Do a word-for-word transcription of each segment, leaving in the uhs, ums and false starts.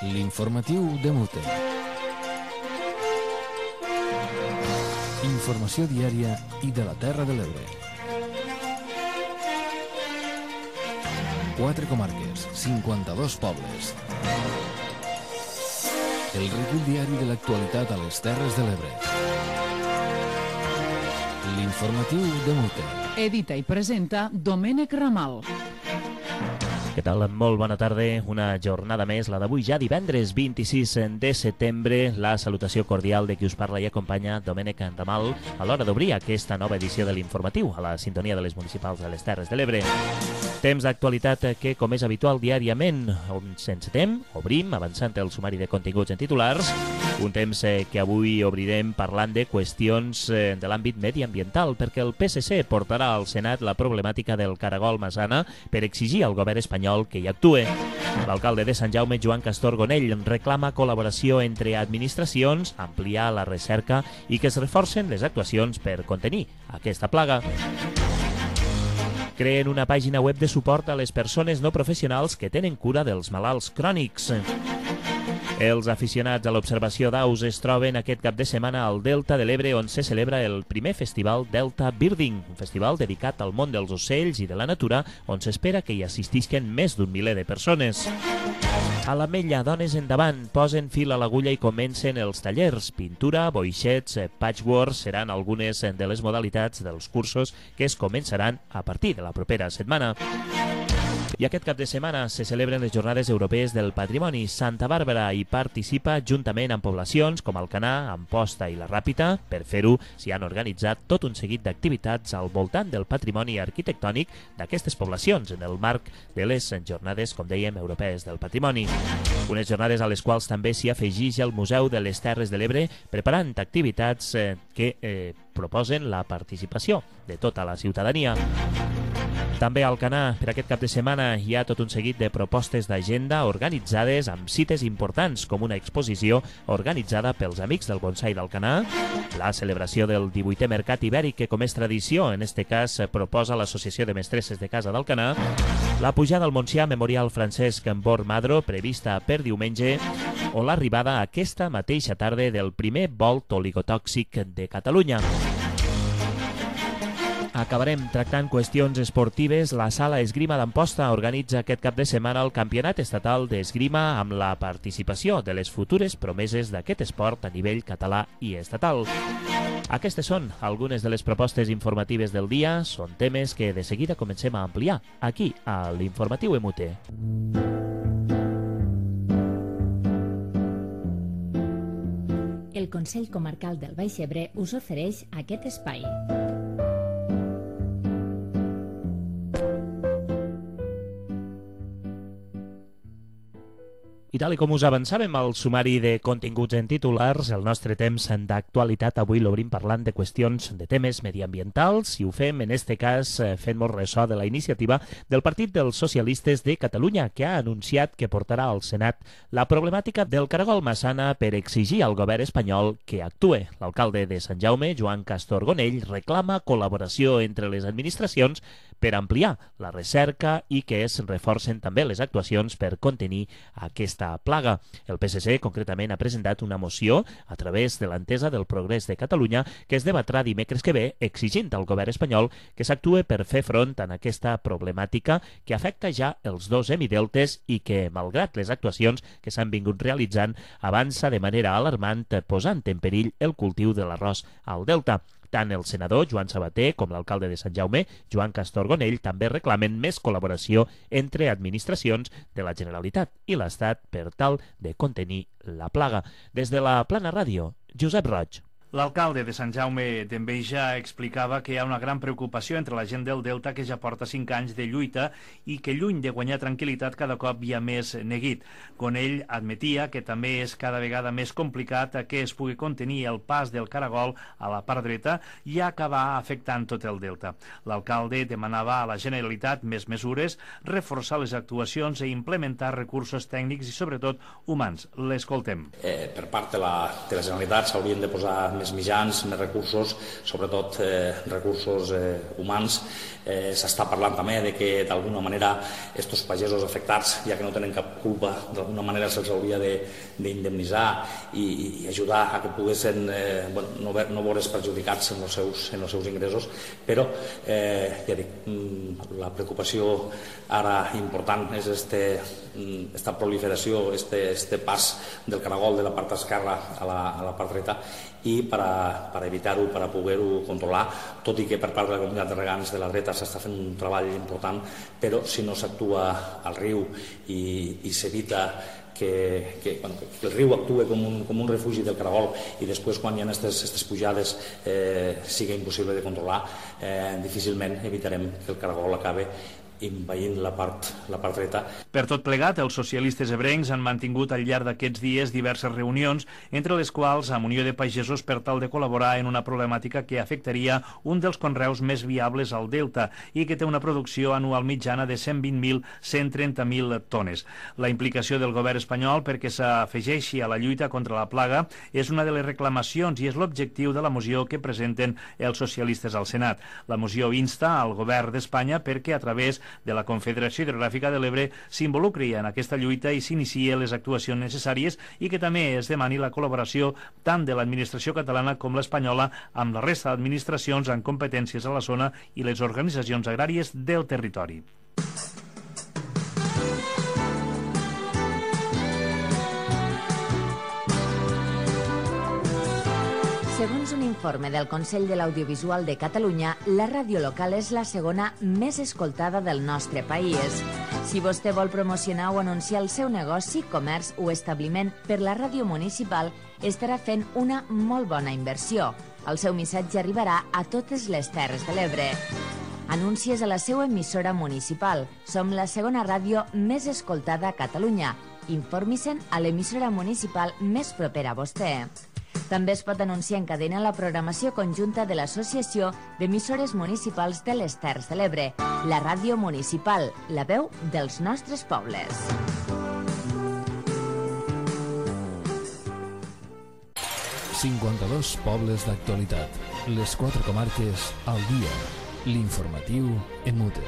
L'informatiu de Mute. Informació diària i de la Terra de l'Ebre. Quatre comarques, cinquanta-dos pobles. El recull diari de l'actualitat a les Terres de l'Ebre. L'informatiu de Mute. Edita i presenta Domènec Ramal. Què tal? Molt bona tarda. Una jornada més, la d'avui ja divendres vint-i-sis de setembre. La salutació cordial de qui us parla i acompanya, Domènec Ramal, a l'hora d'obrir aquesta nova edició de l'informatiu a la sintonia de les municipals de les Terres de l'Ebre. Temps d'actualitat que, com és habitual diàriament, ens encetem, obrim, avançant el sumari de continguts en titulars. Un temps que avui obrirem parlant de qüestions de l'àmbit mediambiental, perquè el P S C portarà al Senat la problemàtica del caragol Massana per exigir al govern espanyol que hi actue. L'alcalde de Sant Jaume, Joan Castor Gonell, reclama col·laboració entre administracions, ampliar la recerca i que es reforcen les actuacions per contenir aquesta plaga. Creen una pàgina web de suport a les persones no professionals que tenen cura dels malalts crònics. Els aficionats a l'observació d'aus es troben aquest cap de setmana al Delta de l'Ebre, on se celebra el primer festival Delta Birding, un festival dedicat al món dels ocells i de la natura, on s'espera que hi assistisquen més d'un miler de persones. A l'Ametlla, dones endavant, posen fil a l'agulla i comencen els tallers. Pintura, boixets, patchwork seran algunes de les modalitats dels cursos que es començaran a partir de la propera setmana. I aquest cap de setmana se celebren les Jornades Europees del Patrimoni. Santa Bàrbara hi participa juntament amb poblacions com Alcanar, Amposta i la Ràpita. Per fer-ho, s'hi han organitzat tot un seguit d'activitats al voltant del patrimoni arquitectònic d'aquestes poblacions en el marc de les Jornades, com dèiem, Europees del Patrimoni. Unes jornades a les quals també s'hi afegeix el Museu de les Terres de l'Ebre, preparant activitats eh, que eh, proposen la participació de tota la ciutadania. També a Alcanar, per aquest cap de setmana, hi ha tot un seguit de propostes d'agenda organitzades amb cites importants, com una exposició organitzada pels Amics del Bonsai d'Alcanar, la celebració del divuitè Mercat Ibèric, que com és tradició, en este cas proposa l'Associació de Mestresses de Casa d'Alcanar, la pujada al Montsià Memorial Francesc Bor Madro, prevista per diumenge, o l'arribada aquesta mateixa tarda del primer volt oligotòxic de Catalunya. Acabarem tractant qüestions esportives. La Sala Esgrima d'Amposta organitza aquest cap de setmana el Campionat Estatal d'Esgrima amb la participació de les futures promeses d'aquest esport a nivell català i estatal. Aquestes són algunes de les propostes informatives del dia. Són temes que de seguida comencem a ampliar aquí a l'Informatiu M U T. El Consell Comarcal del Baix Ebre us ofereix aquest espai. I tal com us avançàvem al sumari de continguts en titulars, el nostre temps d'actualitat avui l'obrim parlant de qüestions de temes mediambientals i ho fem, en este cas, fent-nos ressò de la iniciativa del Partit dels Socialistes de Catalunya, que ha anunciat que portarà al Senat la problemàtica del caragol Massana per exigir al govern espanyol que actue. L'alcalde de Sant Jaume, Joan Castor Gonell, reclama col·laboració entre les administracions per ampliar la recerca i que es reforcen també les actuacions per contenir aquesta plaga. El P S C concretament ha presentat una moció a través de l'entesa del Progrés de Catalunya que es debatrà dimecres que ve exigint al govern espanyol que s'actue per fer front a aquesta problemàtica que afecta ja els dos hemideltes i que, malgrat les actuacions que s'han vingut realitzant, avança de manera alarmant posant en perill el cultiu de l'arròs al delta. Tant el senador Joan Sabater com l'alcalde de Sant Jaume, Joan Castor Gonell, també reclamen més col·laboració entre administracions de la Generalitat i l'Estat per tal de contenir la plaga. Des de la Plana Ràdio, Josep Roig. L'alcalde de Sant Jaume d'Enveja explicava que hi ha una gran preocupació entre la gent del Delta que ja porta cinc anys de lluita i que lluny de guanyar tranquil·litat cada cop hi ha més neguit. Gonell admetia que també és cada vegada més complicat que es pugui contenir el pas del caragol a la part dreta i acabar afectant tot el Delta. L'alcalde demanava a la Generalitat més mesures, reforçar les actuacions i implementar recursos tècnics i sobretot humans. L'escoltem. Eh, per part de la, de la Generalitat s'haurien de posar més mitjans, més recursos, sobretot eh, recursos eh, humans. Eh, S'està parlant també de que d'alguna manera estos pagesos afectats, ja que no tenen cap culpa, d'alguna manera se'ls hauria d'indemnitzar i, i ajudar a que poguessin eh, bueno, no, no veure's perjudicats en els seus, en els seus ingressos, però eh, ja dic, la preocupació ara important és este, esta proliferació, este, este pas del caragol de la part esquerra a la, a la part dreta, i per, a, per evitar-ho, per a poder-ho controlar, tot i que per part de la comunitat de regants de la dreta s'està fent un treball important, però si no s'actua al riu i, i s'evita que, que, bueno, que el riu actue com un, com un refugi del caragol i després quan hi ha aquestes pujades eh, sigui impossible de controlar, eh, difícilment evitarem que el caragol acabe envaint la part, la part dreta. Per tot plegat, els socialistes ebrencs han mantingut al llarg d'aquests dies diverses reunions, entre les quals amb Unió de Pagesos per tal de col·laborar en una problemàtica que afectaria un dels conreus més viables al Delta i que té una producció anual mitjana de cent vint mil a cent trenta mil tones. La implicació del govern espanyol perquè s'afegeixi a la lluita contra la plaga és una de les reclamacions i és l'objectiu de la moció que presenten els socialistes al Senat. La moció insta al govern d'Espanya perquè a través de la Confederació Hidrogràfica de l'Ebre s'involucri en aquesta lluita i s'inicie les actuacions necessàries i que també es demani la col·laboració tant de l'administració catalana com l'espanyola amb la resta d'administracions amb competències a la zona i les organitzacions agràries del territori. Segons un informe del Consell de l'Audiovisual de Catalunya, la ràdio local és la segona més escoltada del nostre país. Si vostè vol promocionar o anunciar el seu negoci, comerç o establiment per la ràdio municipal, estarà fent una molt bona inversió. El seu missatge arribarà a totes les Terres de l'Ebre. Anuncies a la seva emissora municipal. Som la segona ràdio més escoltada a Catalunya. Informi-se'n a l'emissora municipal més propera a vostè. També es pot anunciar en cadena la programació conjunta de l'Associació d'Emissores Municipals de les Terres de l'Ebre, la ràdio municipal, la veu dels nostres pobles. cinquanta-dos pobles d'actualitat. Les quatre comarques al dia. L'informatiu en mute.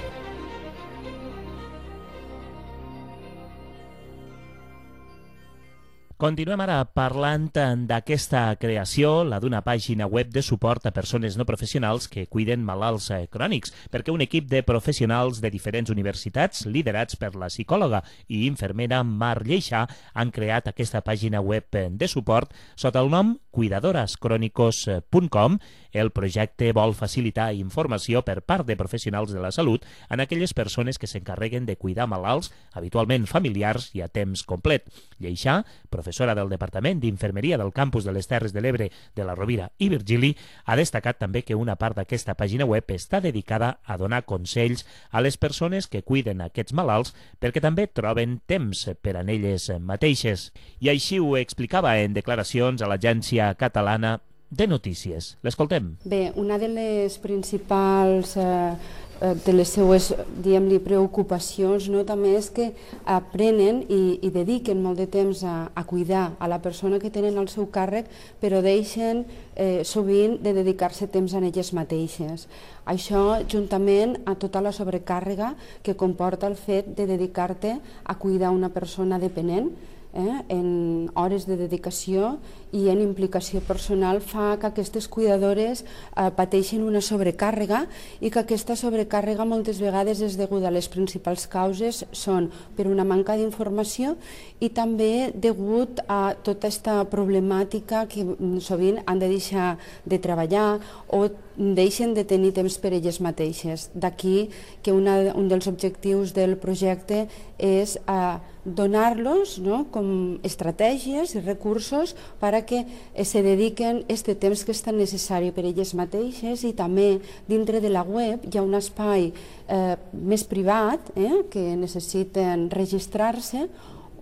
Continuem ara parlant d'aquesta creació, la d'una pàgina web de suport a persones no professionals que cuiden malalts crònics, perquè un equip de professionals de diferents universitats, liderats per la psicòloga i infermera Mar Lleixà, han creat aquesta pàgina web de suport sota el nom cuidadores crónicos punt com. El projecte vol facilitar informació per part de professionals de la salut en aquelles persones que s'encarreguen de cuidar malalts, habitualment familiars i a temps complet. Lleixà, professora del Departament d'Infermeria del Campus de les Terres de l'Ebre de la Rovira i Virgili, ha destacat també que una part d'aquesta pàgina web està dedicada a donar consells a les persones que cuiden aquests malalts perquè també troben temps per a elles mateixes. I així ho explicava en declaracions a l'Agència Catalana de Notícies. L'escoltem. Bé, una de les principals eh, de les seues, diguem-li, preocupacions, no, també és que aprenen i, i dediquen molt de temps a, a cuidar a la persona que tenen al seu càrrec, però deixen eh, sovint de dedicar-se temps a elles mateixes. Això, juntament a tota la sobrecàrrega que comporta el fet de dedicar-te a cuidar una persona dependent, Eh, en hores de dedicació i en implicació personal, fa que aquestes cuidadores eh, pateixin una sobrecàrrega i que aquesta sobrecàrrega moltes vegades és deguda a les principals causes són per una manca d'informació i també degut a tota aquesta problemàtica que sovint han de deixar de treballar o deixen de tenir temps per elles mateixes. D'aquí que una, un dels objectius del projecte és eh, donar-los, no, com estratègies i recursos per a que se dediquen este temps que és tan necessari per elles mateixes, i també dintre de la web hi ha un espai eh, més privat eh, que necessiten registrar-se,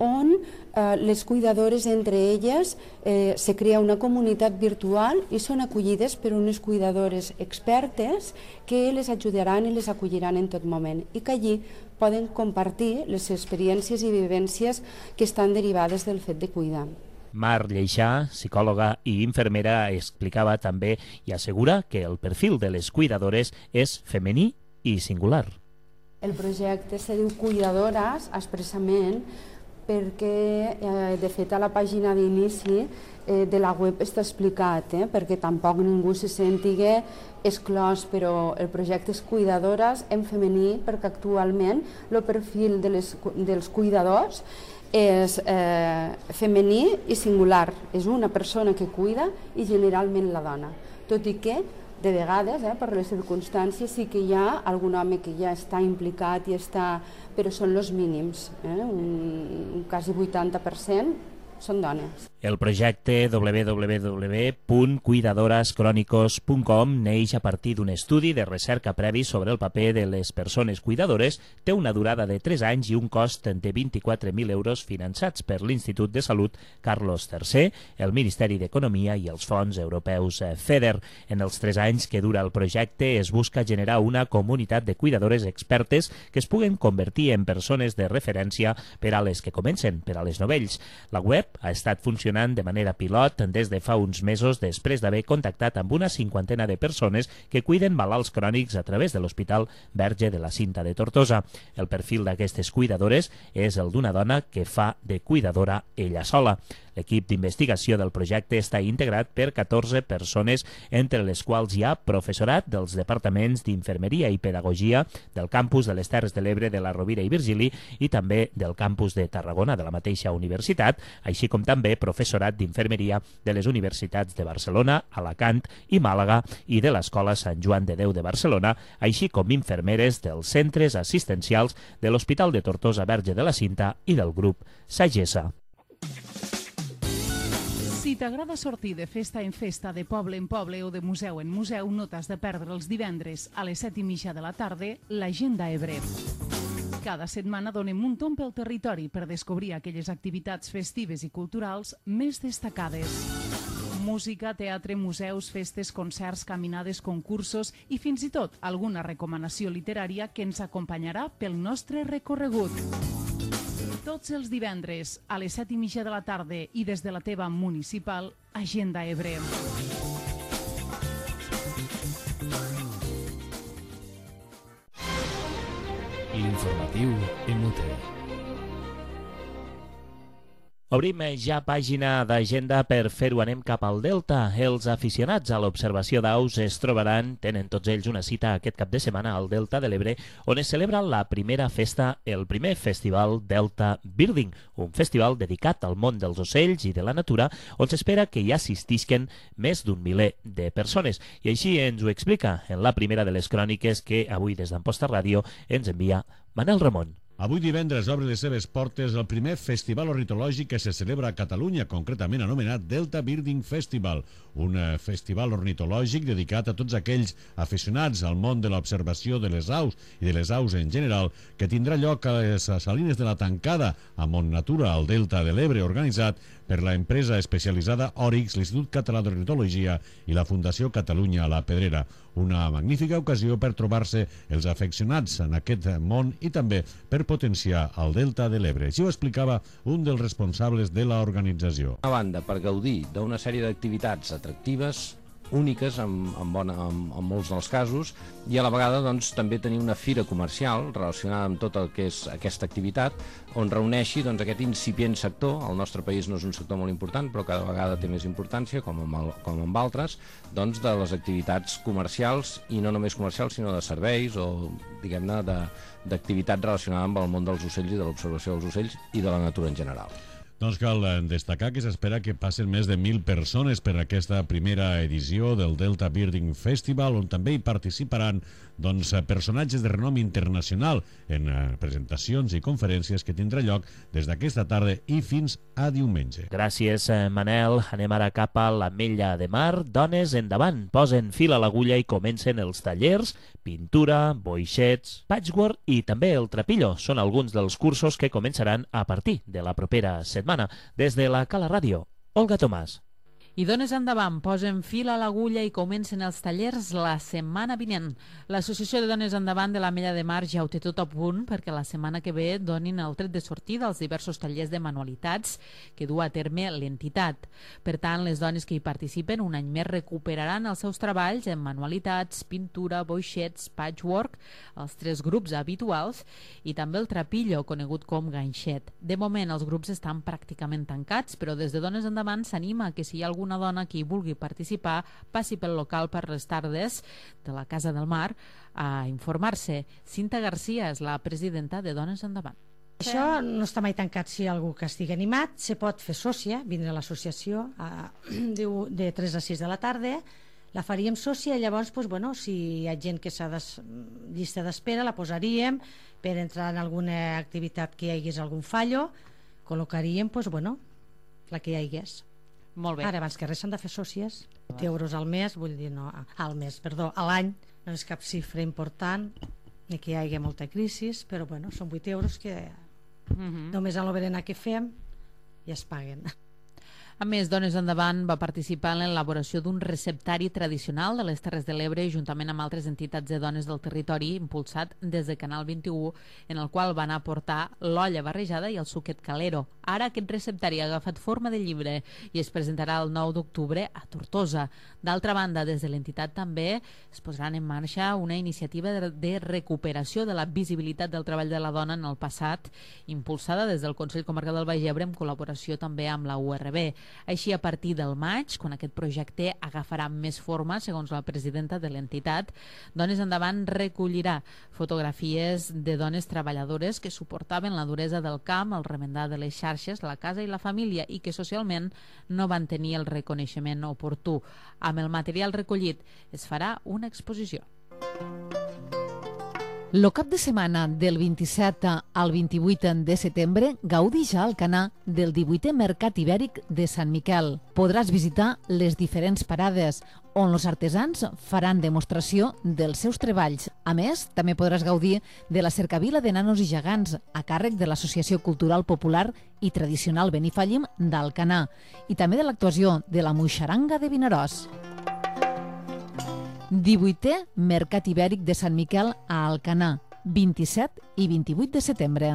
on eh, les cuidadores entre elles eh, se crea una comunitat virtual i són acollides per unes cuidadores expertes que les ajudaran i les acolliran en tot moment i que allí poden compartir les experiències i vivències que estan derivades del fet de cuidar. Mar Lleixà, psicòloga i infermera, explicava també i assegura que el perfil de les cuidadores és femení i singular. El projecte se diu Cuidadores expressament perquè, eh, de fet, a la pàgina d'inici eh, de la web està explicat, eh, perquè tampoc ningú se sentigui exclòs, però el projecte és Cuidadores en femení perquè actualment el perfil de les, dels cuidadors és eh, femení i singular. És una persona que cuida i generalment la dona, tot i que de vegades, eh, per les circumstàncies, sí que hi ha algun home que ja està implicat i està, però són els mínims, eh? un, un quasi vuitanta per cent són dones. El projecte w w w punt cuidadores crónicos punt com neix a partir d'un estudi de recerca previ sobre el paper de les persones cuidadores, té una durada de tres anys i un cost de vint-i-quatre mil euros finançats per l'Institut de Salut Carlos tercer, el Ministeri d'Economia i els fons europeus FEDER. En els tres anys que dura el projecte es busca generar una comunitat de cuidadores expertes que es puguen convertir en persones de referència per a les que comencen, per a les novells. La web ha estat funcionant de manera pilot des de fa uns mesos després d'haver contactat amb una cinquantena de persones que cuiden malalts crònics a través de l'Hospital Verge de la Cinta de Tortosa. El perfil d'aquestes cuidadores és el d'una dona que fa de cuidadora ella sola. L'equip d'investigació del projecte està integrat per catorze persones, entre les quals hi ha professorat dels departaments d'Infermeria i Pedagogia del campus de les Terres de l'Ebre de la Rovira i Virgili i també del campus de Tarragona de la mateixa universitat, així com també professorat d'Infermeria de les universitats de Barcelona, Alacant i Màlaga i de l'Escola Sant Joan de Déu de Barcelona, així com infermeres dels centres assistencials de l'Hospital de Tortosa Verge de la Cinta i del grup Sagessa. Si t'agrada sortir de festa en festa, de poble en poble o de museu en museu, no t'has de perdre els divendres a les set i mitja de la tarda l'Agenda Ebre. Cada setmana donem un tomb pel territori per descobrir aquelles activitats festives i culturals més destacades. Música, teatre, museus, festes, concerts, caminades, concursos i fins i tot alguna recomanació literària que ens acompanyarà pel nostre recorregut. Tots els divendres a les set i mitja de la tarda i des de la teva municipal, Agenda Ebre. L'informatiu M U T. Obrim ja pàgina d'agenda. Per fer-ho anem cap al Delta. Els aficionats a l'observació d'aus es trobaran, tenen tots ells una cita aquest cap de setmana al Delta de l'Ebre, on es celebra la primera festa, el primer festival Delta Birding, un festival dedicat al món dels ocells i de la natura, on s'espera que hi assistisquen més d'un miler de persones. I així ens ho explica en la primera de les cròniques que avui des d'Amposta Ràdio ens envia Manel Ramon. Avui divendres obre les seves portes el primer festival ornitològic que se celebra a Catalunya, concretament anomenat Delta Birding Festival, un festival ornitològic dedicat a tots aquells aficionats al món de l'observació de les aus i de les aus en general, que tindrà lloc a les Salines de la Tancada, a Montnatura, al Delta de l'Ebre, organitzat per la empresa especialitzada Òrix, l'Institut Català d'Ornitologia i la Fundació Catalunya a la Pedrera. Una magnífica ocasió per trobar-se els afeccionats en aquest món i també per potenciar el Delta de l'Ebre. Així ho explicava un dels responsables de l'organització. A banda, per gaudir d'una sèrie d'activitats atractives, úniques en, en, bona, en, en molts dels casos, i a la vegada doncs, també tenir una fira comercial relacionada amb tot el que és aquesta activitat, on reuneixi doncs, aquest incipient sector. El nostre país no és un sector molt important, però cada vegada té més importància, com amb, el, com amb altres, doncs, de les activitats comercials, i no només comercials, sinó de serveis o, diguem-ne, d'activitats relacionades amb el món dels ocells i de l'observació dels ocells i de la natura en general. Doncs cal destacar que s'espera que passen més de mil persones per aquesta primera edició del Delta Birding Festival, on també hi participaran doncs, personatges de renom internacional en presentacions i conferències que tindrà lloc des d'aquesta tarda i fins a diumenge. Gràcies, Manel. Anem ara cap a l'Ametlla de Mar. Dones, endavant, posen fil a l'agulla i comencen els tallers, pintura, boixets, patchwork i també el trapillo. Són alguns dels cursos que començaran a partir de la propera setmana. Des de la Cala Ràdio, Olga Tomàs. I Dones Endavant posen fil a l'agulla i comencen els tallers la setmana vinent. L'Associació de Dones Endavant de l'Ametlla de Mar ja ho té tot a punt perquè la setmana que ve donin el tret de sortida als diversos tallers de manualitats que du a terme l'entitat. Per tant, les dones que hi participen un any més recuperaran els seus treballs en manualitats, pintura, boixets, patchwork, els tres grups habituals i també el trapillo, conegut com ganxet. De moment, els grups estan pràcticament tancats, però des de Dones Endavant s'anima que si hi ha alguna dona que hi vulgui participar passi pel local per les tardes de la Casa del Mar a informar-se. Cinta Garcia és la presidenta de Dones Endavant. Això no està mai tancat. Si hi ha algú que estigui animat, se pot fer sòcia, vindre a l'associació de tres a sis de la tarda, la faríem sòcia i llavors, doncs, bueno, si hi ha gent que s'ha de llista d'espera, la posaríem per entrar en alguna activitat que hi hagués algun fallo, col·locaríem, doncs, bueno, la que hi hagués. Molt bé. Ara, abans que res, s'han de fer sòcies. vuit euros al mes, vull dir, no, al mes, perdó, a l'any, no és cap xifra important, ni que hi hagi molta crisi, però bueno, són vuit euros que uh-huh. només a l'oberena que fem ja es paguen. A més, Dones Endavant va participar en l'elaboració d'un receptari tradicional de les Terres de l'Ebre juntament amb altres entitats de dones del territori impulsat des de Canal vint-i-u, en el qual van aportar l'olla barrejada i el suquet calero. Ara aquest receptari ha agafat forma de llibre i es presentarà el nou d'octubre a Tortosa. D'altra banda, des de l'entitat també es posaran en marxa una iniciativa de recuperació de la visibilitat del treball de la dona en el passat, impulsada des del Consell Comarcal del Baix Ebre en col·laboració també amb la U R B. Així, a partir del maig, quan aquest projecte agafarà més forma, segons la presidenta de l'entitat, Dones Endavant recollirà fotografies de dones treballadores que suportaven la duresa del camp, el remendar de les xarxes, la casa i la família i que socialment no van tenir el reconeixement oportú. Amb el material recollit es farà una exposició. El cap de setmana del vint-i-set al vint-i-vuit de setembre gaudix a Alcanar del divuitè Mercat Ibèric de Sant Miquel. Podràs visitar les diferents parades on els artesans faran demostració dels seus treballs. A més, també podràs gaudir de la cercavila de nanos i gegants a càrrec de l'Associació Cultural Popular i Tradicional Benifallim d'Alcanar i també de l'actuació de la Moixaranga de Vinaròs. divuitè Mercat Ibèric de Sant Miquel a Alcanar, vint-i-set i vint-i-vuit de setembre.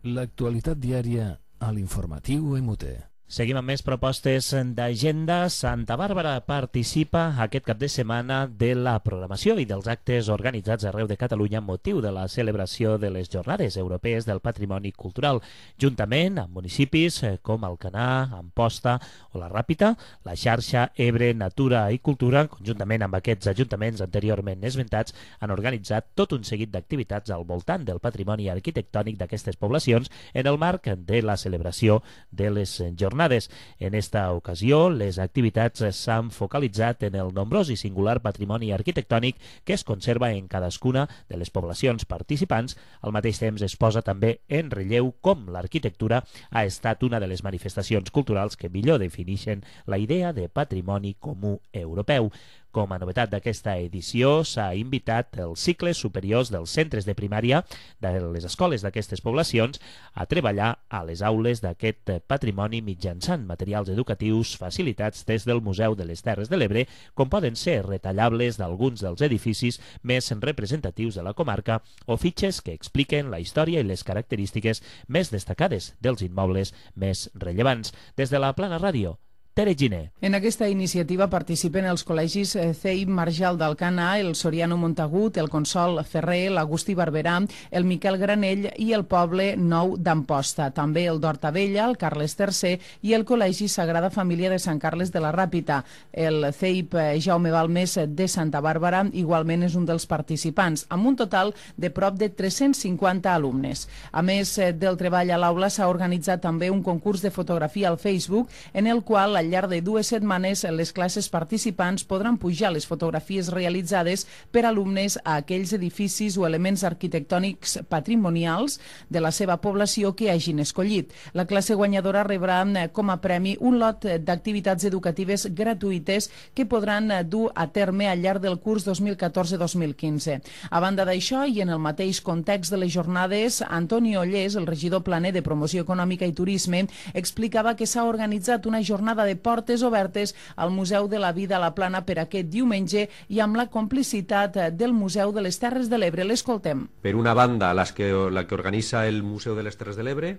L'actualitat diària a l'informatiu M U T. Seguim amb més propostes d'agenda. Santa Bàrbara participa aquest cap de setmana de la programació i dels actes organitzats arreu de Catalunya amb motiu de la celebració de les Jornades Europees del Patrimoni Cultural, juntament amb municipis com Alcanar, Amposta o la Ràpita. La xarxa Ebre Natura i Cultura, conjuntament amb aquests ajuntaments anteriorment esmentats, han organitzat tot un seguit d'activitats al voltant del patrimoni arquitectònic d'aquestes poblacions en el marc de la celebració de les Jornades. En esta ocasió, les activitats s'han focalitzat en el nombrós i singular patrimoni arquitectònic que es conserva en cadascuna de les poblacions participants. Al mateix temps es posa també en relleu com l'arquitectura ha estat una de les manifestacions culturals que millor defineixen la idea de patrimoni comú europeu. Com a novetat d'aquesta edició, s'ha invitat els cicles superiors dels centres de primària de les escoles d'aquestes poblacions a treballar a les aules d'aquest patrimoni mitjançant materials educatius facilitats des del Museu de les Terres de l'Ebre, com poden ser retallables d'alguns dels edificis més representatius de la comarca o fitxes que expliquen la història i les característiques més destacades dels immobles més rellevants. Des de la Plana Ràdio, Tere Giner. En aquesta iniciativa participen els col·legis C I Marjal d'Alcanar, el Soriano Montagut, el Consol Ferrer, l'Agustí Barberà, el Miquel Granell i el Poble Nou d'Amposta. També el d'Hortavella, el Carles tercer i el Col·legi Sagrada Família de Sant Carles de la Ràpita. El C I P Jaume Balmés de Santa Bàrbara igualment és un dels participants, amb un total de prop de tres-cents cinquanta alumnes. A més del treball a l'aula, s'ha organitzat també un concurs de fotografia al Facebook en el qual la al llarg de dues setmanes les classes participants podran pujar les fotografies realitzades per alumnes a aquells edificis o elements arquitectònics patrimonials de la seva població que hagin escollit. La classe guanyadora rebrà com a premi un lot d'activitats educatives gratuïtes que podran dur a terme al llarg del curs dos mil catorze dos mil quinze. A banda d'això, i en el mateix context de les jornades, Antoni Ollés, el regidor planer de Promoció Econòmica i Turisme, explicava que s'ha organitzat una jornada de portes obertes al Museu de la Vida a la Plana per aquest diumenge i amb la complicitat del Museu de les Terres de l'Ebre. L'escoltem. Per una banda, las que, la que organitza el Museu de les Terres de l'Ebre,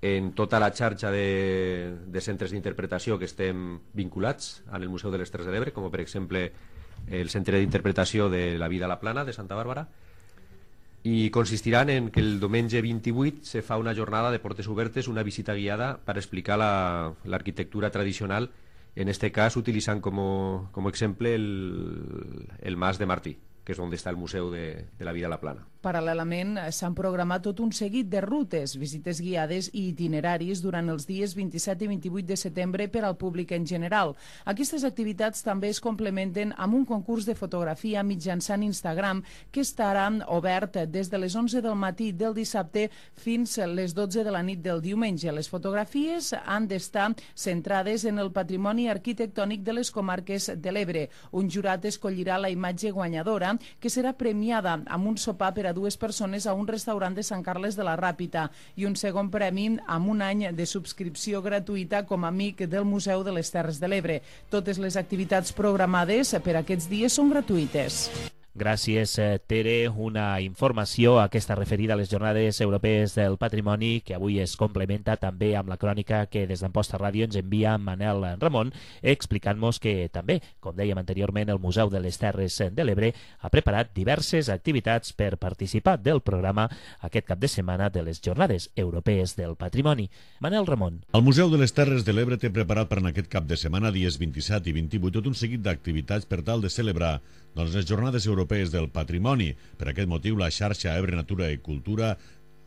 en tota la xarxa de, de centres d'interpretació que estem vinculats al Museu de les Terres de l'Ebre, com per exemple el Centre d'Interpretació de la Vida a la Plana de Santa Bàrbara, i consistiran en que el diumenge vint-i-vuit se fa una jornada de portes obertes, una visita guiada per explicar l'arquitectura tradicional, en este cas utilitzant com, com exemple el, el Mas de Martí, que és on està el Museu de, de la Vida a la Plana. Paral·lelament, s'han programat tot un seguit de rutes, visites guiades i itineraris durant els dies vint-i-set i vint-i-vuit de setembre per al públic en general. Aquestes activitats també es complementen amb un concurs de fotografia mitjançant Instagram que estarà obert des de les onze del matí del dissabte fins a les dotze de la nit del diumenge. Les fotografies han d'estar centrades en el patrimoni arquitectònic de les comarques de l'Ebre. Un jurat escollirà la imatge guanyadora, que serà premiada amb un sopar per a dues persones a un restaurant de Sant Carles de la Ràpita i un segon premi amb un any de subscripció gratuïta com a amic del Museu de les Terres de l'Ebre. Totes les activitats programades per aquests dies són gratuïtes. Gràcies, Tere. Una informació, aquesta referida a les Jornades Europees del Patrimoni, que avui es complementa també amb la crònica que des d'Amposta Ràdio ens envia Manel Ramon, explicant-nos que també, com dèiem anteriorment, el Museu de les Terres de l'Ebre ha preparat diverses activitats per participar del programa aquest cap de setmana de les Jornades Europees del Patrimoni. Manel Ramon. El Museu de les Terres de l'Ebre té preparat per en aquest cap de setmana, dies vint-i-set i vint-i-vuit, tot un seguit d'activitats per tal de celebrar doncs, les Jornades Europees del Patrimoni. Per aquest motiu, la xarxa Ebre Natura i Cultura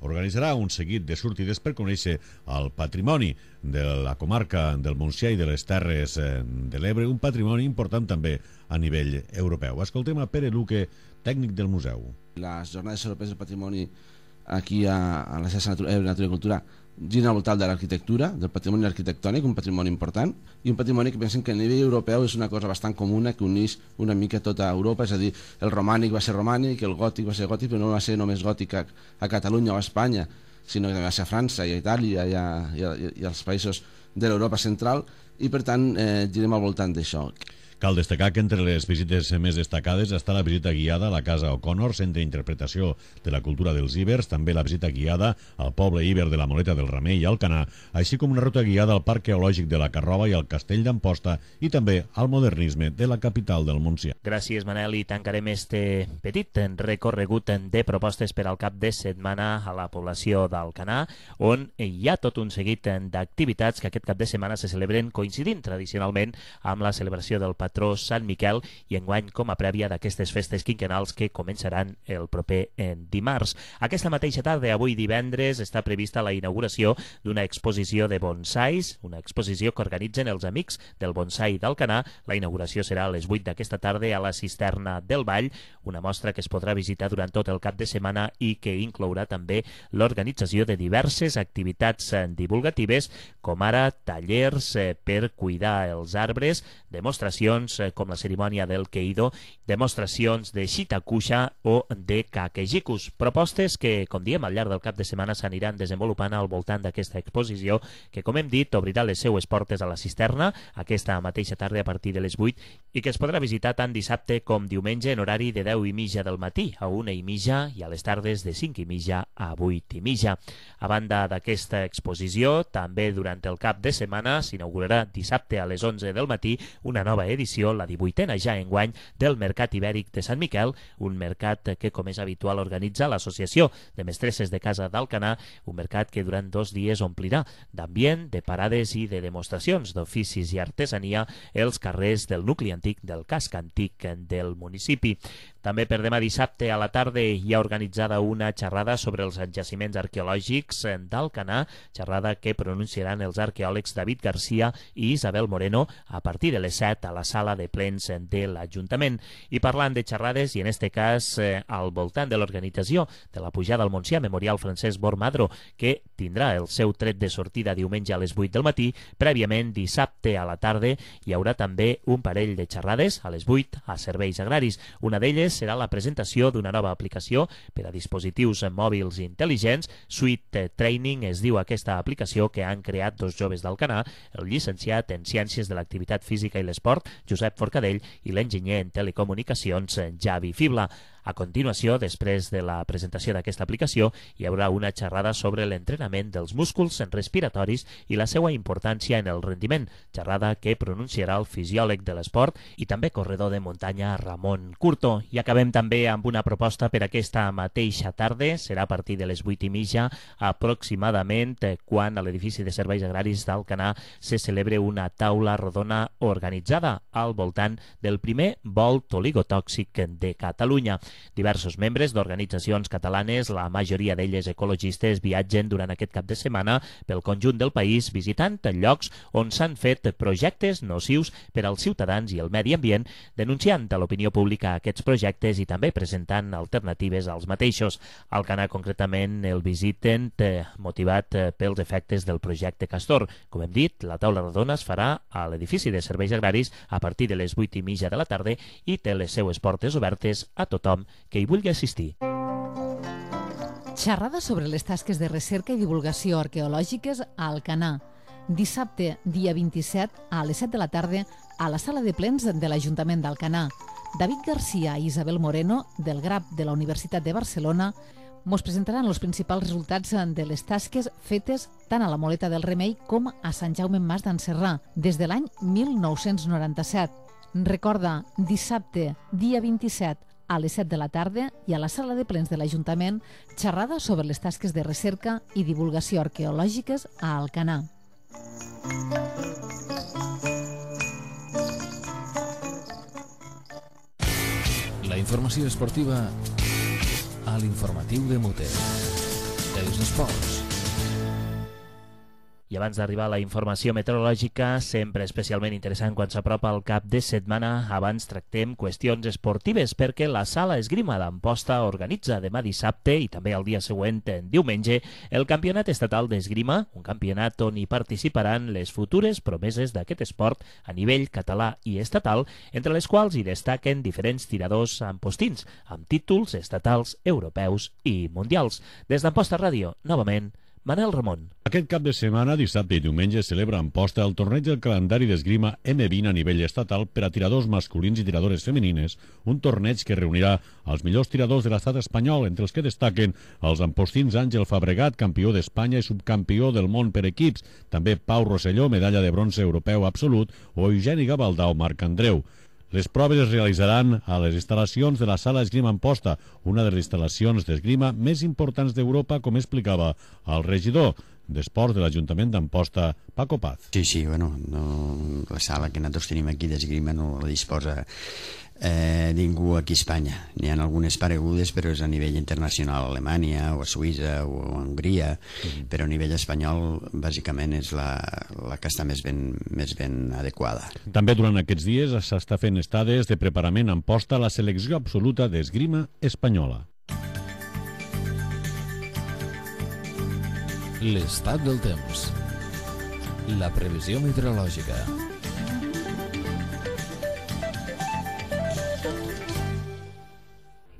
organitzarà un seguit de sortides per conèixer el patrimoni de la comarca del Montsià i de les Terres de l'Ebre, un patrimoni important també a nivell europeu. Escoltem a Pere Luque, tècnic del museu. Les Jornades Europees del Patrimoni aquí a, a la xarxa Ebre Natura i Cultura giren al voltant de l'arquitectura, del patrimoni arquitectònic, un patrimoni important, i un patrimoni que pensem que a nivell europeu és una cosa bastant comuna que uneix una mica tota Europa, és a dir, el romànic va ser romànic, el gòtic va ser gòtic, però no va ser només gòtic a, a Catalunya o a Espanya, sinó que també va ser a França i a Itàlia i, a, i, a, i als països de l'Europa central, i per tant eh, girem al voltant d'això. Cal destacar que entre les visites més destacades està la visita guiada a la Casa O'Connor, centre d'interpretació de la cultura dels íbers, també la visita guiada al poble íber de la Moleta del Remei i Alcanar, així com una ruta guiada al Parc Geològic de la Carroba i al Castell d'Amposta i també al modernisme de la capital del Montsià. Gràcies, Manel, i tancarem este petit recorregut de propostes per al cap de setmana a la població d'Alcanar, on hi ha tot un seguit d'activitats que aquest cap de setmana se celebren coincidint tradicionalment amb la celebració del patró Sant Miquel i enguany com a prèvia d'aquestes festes quinquennals que començaran el proper dimarts. Aquesta mateixa tarda, avui divendres, està prevista la inauguració d'una exposició de bonsais, una exposició que organitzen els Amics del Bonsai d'Alcanar. La inauguració serà a les vuit d'aquesta tarda a la Cisterna del Vall, una mostra que es podrà visitar durant tot el cap de setmana i que inclourà també l'organització de diverses activitats divulgatives, com ara tallers per cuidar els arbres, demostracions com la cerimònia del Keido, demostracions de Shitakusha o de Kakejicus. Propostes que, com diem, al llarg del cap de setmana s'aniran desenvolupant al voltant d'aquesta exposició que, com hem dit, obrirà les seues portes a la cisterna aquesta mateixa tarda a partir de les vuit i que es podrà visitar tant dissabte com diumenge en horari de deu i mitja del matí a una i mitja i a les tardes de cinc i mitja a vuit i mitja. A banda d'aquesta exposició, també durant el cap de setmana s'inaugurarà dissabte a les onze del matí una nova edició, la divuitena ja enguany, del Mercat Ibèric de Sant Miquel, un mercat que, com és habitual, organitza l'Associació de Mestresses de Casa d'Alcanar, un mercat que durant dos dies omplirà d'ambient, de parades i de demostracions d'oficis i artesania els carrers del nucli antic del casc antic del municipi. També per demà dissabte a la tarda hi ha organitzada una xerrada sobre els jaciments arqueològics d'Alcanar, xerrada que pronunciaran els arqueòlegs David Garcia i Isabel Moreno a partir de les set a la sala de plens de l'Ajuntament. I parlant de xerrades, i en este cas eh, al voltant de l'organització de la pujada al Montsià Memorial Francesc Bormadro, que tindrà el seu tret de sortida diumenge a les vuit del matí, prèviament dissabte a la tarda hi haurà també un parell de xerrades a les vuit a Serveis Agraris. Una d'elles serà la presentació d'una nova aplicació per a dispositius mòbils intel·ligents. Sweet Training es diu aquesta aplicació que han creat dos joves d'Alcanar, el llicenciat en Ciències de l'Activitat Física i l'Esport, Josep Forcadell, i l'enginyer en Telecomunicacions, Javi Fibla. A continuació, després de la presentació d'aquesta aplicació, hi haurà una xerrada sobre l'entrenament dels músculs respiratoris i la seva importància en el rendiment, xerrada que pronunciarà el fisiòleg de l'esport i també corredor de muntanya Ramon Curto. I acabem també amb una proposta per aquesta mateixa tarda, serà a partir de les vuit i mitja aproximadament, quan a l'edifici de Serveis Agraris d'Alcanar se celebre una taula rodona organitzada al voltant del primer volt oligotòxic de Catalunya. Diversos membres d'organitzacions catalanes, la majoria d'elles ecologistes, viatgen durant aquest cap de setmana pel conjunt del país visitant llocs on s'han fet projectes nocius per als ciutadans i el medi ambient, denunciant a l'opinió pública aquests projectes i també presentant alternatives als mateixos. Alcanar concretament el visiten eh, motivat eh, pels efectes del projecte Castor. Com hem dit, la taula rodona es farà a l'edifici de Serveis Agraris a partir de les vuit i mitja de la tarda i té les seues portes obertes a tothom que hi vulgui assistir. Xerrada sobre les tasques de recerca i divulgació arqueològiques a Alcanar. Dissabte, dia vint-i-set, a les set de la tarda, a la sala de plens de l'Ajuntament d'Alcanar. David Garcia i Isabel Moreno, del G R A P de la Universitat de Barcelona, mos presentaran els principals resultats de les tasques fetes tant a la Moleta del Remei com a Sant Jaume Mas d'Anserrà, des de l'any mil nou-cents noranta-set. Recorda, dissabte, dia vint-i-set, a les set de la tarda i a la sala de plens de l'Ajuntament, xerrada sobre les tasques de recerca i divulgació arqueològiques a Alcanar. La informació esportiva a l'informatiu de Mute. Els esports. I abans d'arribar a la informació meteorològica, sempre especialment interessant quan s'apropa el cap de setmana, abans tractem qüestions esportives, perquè la Sala Esgrima d'Amposta organitza demà dissabte i també el dia següent, en diumenge, el Campionat Estatal d'Esgrima, un campionat on hi participaran les futures promeses d'aquest esport a nivell català i estatal, entre les quals hi destaquen diferents tiradors ampostins, amb títols estatals, europeus i mundials. Des d'Amposta Ràdio, novament, Manel Ramon. Aquest cap de setmana, dissabte i diumenge, celebra a Amposta el torneig del calendari d'esgrima eme vint a nivell estatal per a tiradors masculins i tiradores femenines, un torneig que reunirà els millors tiradors de l'estat espanyol, entre els que destaquen els ampostins Àngel Fabregat, campió d'Espanya i subcampió del món per equips, també Pau Rosselló, medalla de bronze europeu absolut, o Eugeni Gavaldà o Marc Andreu. Les proves es realitzaran a les instal·lacions de la Sala Esgrima Amposta, una de les instal·lacions d'esgrima més importants d'Europa, com explicava el regidor d'Esports de l'Ajuntament d'Amposta, Paco Paz. Sí, sí, bueno, no, la sala que nosaltres tenim aquí d'esgrima no la disposa eh, ningú aquí a Espanya. N'hi ha algunes paregudes, però és a nivell internacional, a Alemanya o a Suïssa o a Hongria, mm. però a nivell espanyol bàsicament és la, la que està més ben, més ben adequada. També durant aquests dies s'està fent estades de preparament a Amposta a la selecció absoluta d'esgrima espanyola. L'estat del temps. La previsió meteorològica.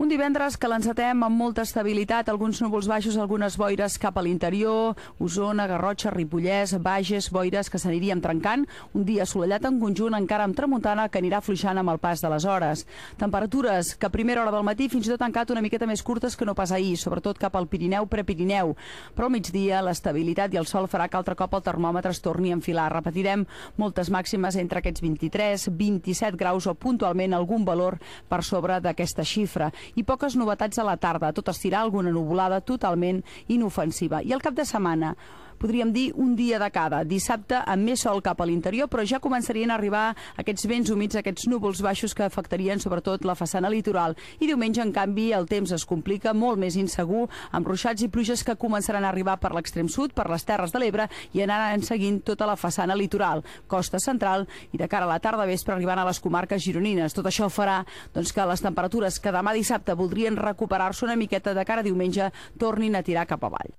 Un divendres que l'encetem amb molta estabilitat, alguns núvols baixos, algunes boires cap a l'interior, Osona, Garrotxa, Ripollès, Bages, boires que s'aniríem trencant, un dia assolellat en conjunt, encara amb tramuntana que anirà fluixant amb el pas de les hores. Temperatures que a primera hora del matí fins i tot han quedat una miqueta més curtes que no pas ahir, sobretot cap al Pirineu, Prepirineu, però al migdia l'estabilitat i el sol farà que altre cop el termòmetre es torni a enfilar. Repetirem moltes màximes entre aquests vint-i-tres, vint-i-set graus o puntualment algun valor per sobre d'aquesta xifra. i poques novetats a la tarda, tot estirar alguna nuvolada totalment inofensiva. I el cap de setmana, podríem dir un dia de cada. Dissabte amb més sol cap a l'interior, però ja començarien a arribar aquests vents humits, aquests núvols baixos que afectarien sobretot la façana litoral. I diumenge, en canvi, el temps es complica, molt més insegur, amb ruixats i pluges que començaran a arribar per l'extrem sud, per les Terres de l'Ebre, i anaran seguint tota la façana litoral, costa central, i de cara a la tarda vespre arribant a les comarques gironines. Tot això farà doncs, que les temperatures que demà dissabte voldrien recuperar-se una miqueta de cara a diumenge tornin a tirar cap avall.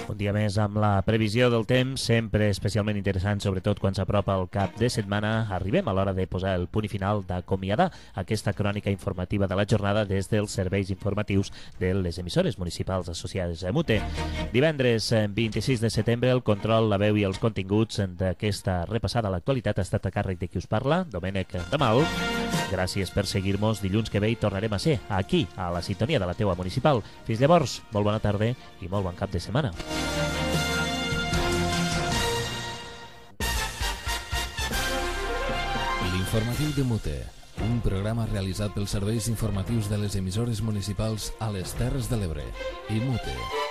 Un dia més amb la previsió del temps, sempre especialment interessant, sobretot quan s'apropa el cap de setmana. Arribem a l'hora de posar el punt i final, d'acomiadar aquesta crònica informativa de la jornada des dels serveis informatius de les emissores municipals associades a MUTE. Divendres vint-i-sis de setembre, el control, la veu i els continguts d'aquesta repassada a l'actualitat ha estat a càrrec de qui us parla, Domènec Ramal. Gràcies per seguir-nos. Dilluns que ve hi tornarem a ser, aquí, a la sintonia de la teua municipal. Fins llavors, molt bona tarda i molt bon cap de setmana. L'informatiu de MUTE, un programa realitzat pels serveis informatius de les emissores municipals a les Terres de l'Ebre i MUTE.